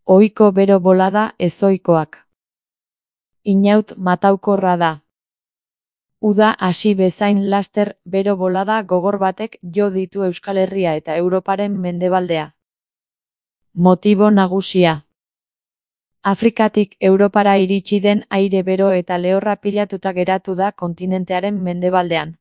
Ohiko bero bolada ezohikoak. Inaut mataukorra da. Uda hasi bezain laster bero bolada gogor batek jo ditu Euskal Herria eta Europaren mendebaldea. Motibo nagusia. Afrikatik Europara iritsi den aire bero eta lehorra pilatuta geratu da kontinentearen mendebaldean.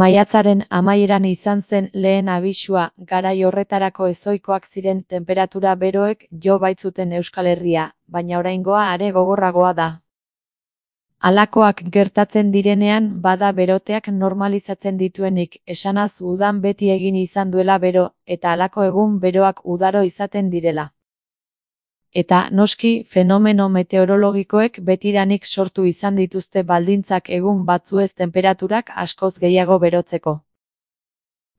Maiatzaren amaieran izan zen lehen abisua, garai horretarako ezohikoak ziren tenperatura beroek jo baitzuten Euskal Herria, baina oraingoa are gogorragoa da. Halakoak gertatzen direnean bada beroteak normalizatzen dituenik, esanaz udan beti egin izan duela bero, eta halako egun beroak udaro izaten direla. Eta, noski, fenomeno meteorologikoek betidanik sortu izan dituzte baldintzak egun batzuez tenperaturak askoz gehiago berotzeko.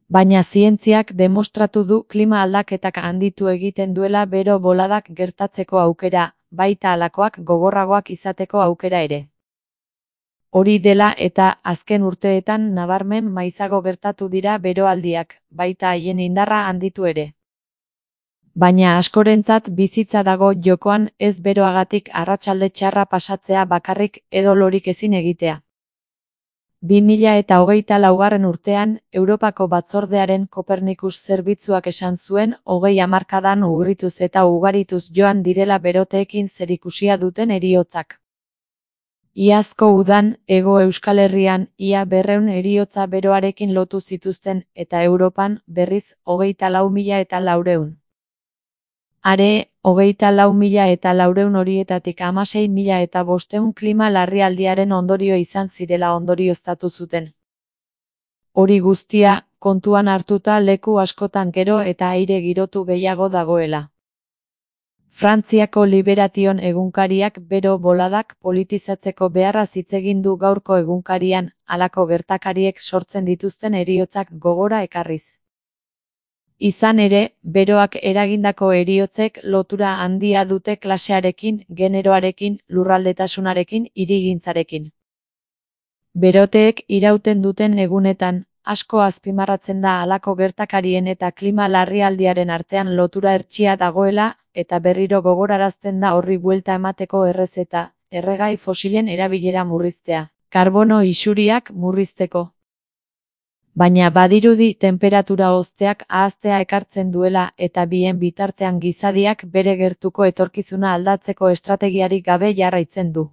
Baina zientziak demostratu du klima aldaketak handitu egiten duela bero boladak gertatzeko aukera, baita halakoak gogorragoak izateko aukera ere. Hori dela eta azken urteetan nabarmen maizago gertatu dira beroaldiak, baita haien indarra handitu ere. Baina askorentzat bizitza dago jokoan, ez beroagatik arratsalde txarra pasatzea bakarrik edo lorik ezin egitea. 2024 urtean, Europako Batzordearen Kopernikus zerbitzuak esan zuen 20 hamarkadan urrituz eta ugarituz joan direla beroteekin zerikusia duten heriotzak. Iazko udan, Hego Euskal Herrian, ia 200 heriotza beroarekin lotu zituzten, eta Europan, berriz, 24.400. Are, 24.400 horietatik 16.500 klima larrialdiaren ondorio izan zirela ondorioztatu zuten. Hori guztia, kontuan hartuta leku askotan gero eta aire girotu gehiago dagoela. Frantziako Liberation egunkariak bero boladak politizatzeko beharraz hitz egin du gaurko egunkarian, halako gertakariek sortzen dituzten heriotzak gogora ekarriz. Izan ere, beroak eragindako heriotzek lotura handia dute klasearekin, generoarekin, lurraldetasunarekin, hirigintzarekin. Beroteek irauten duten egunetan, asko azpimarratzen da halako gertakarien eta klima larrialdiaren artean lotura hertsia dagoela, eta berriro gogorarazten da horri buelta emateko errezeta, erregai fosilen erabilera murriztea, karbono isuriak murrizteko. Baina badirudi tenperatura hozteak ahaztea ekartzen duela eta bien bitartean gizadiak bere gertuko etorkizuna aldatzeko estrategiarik gabe jarraitzen du.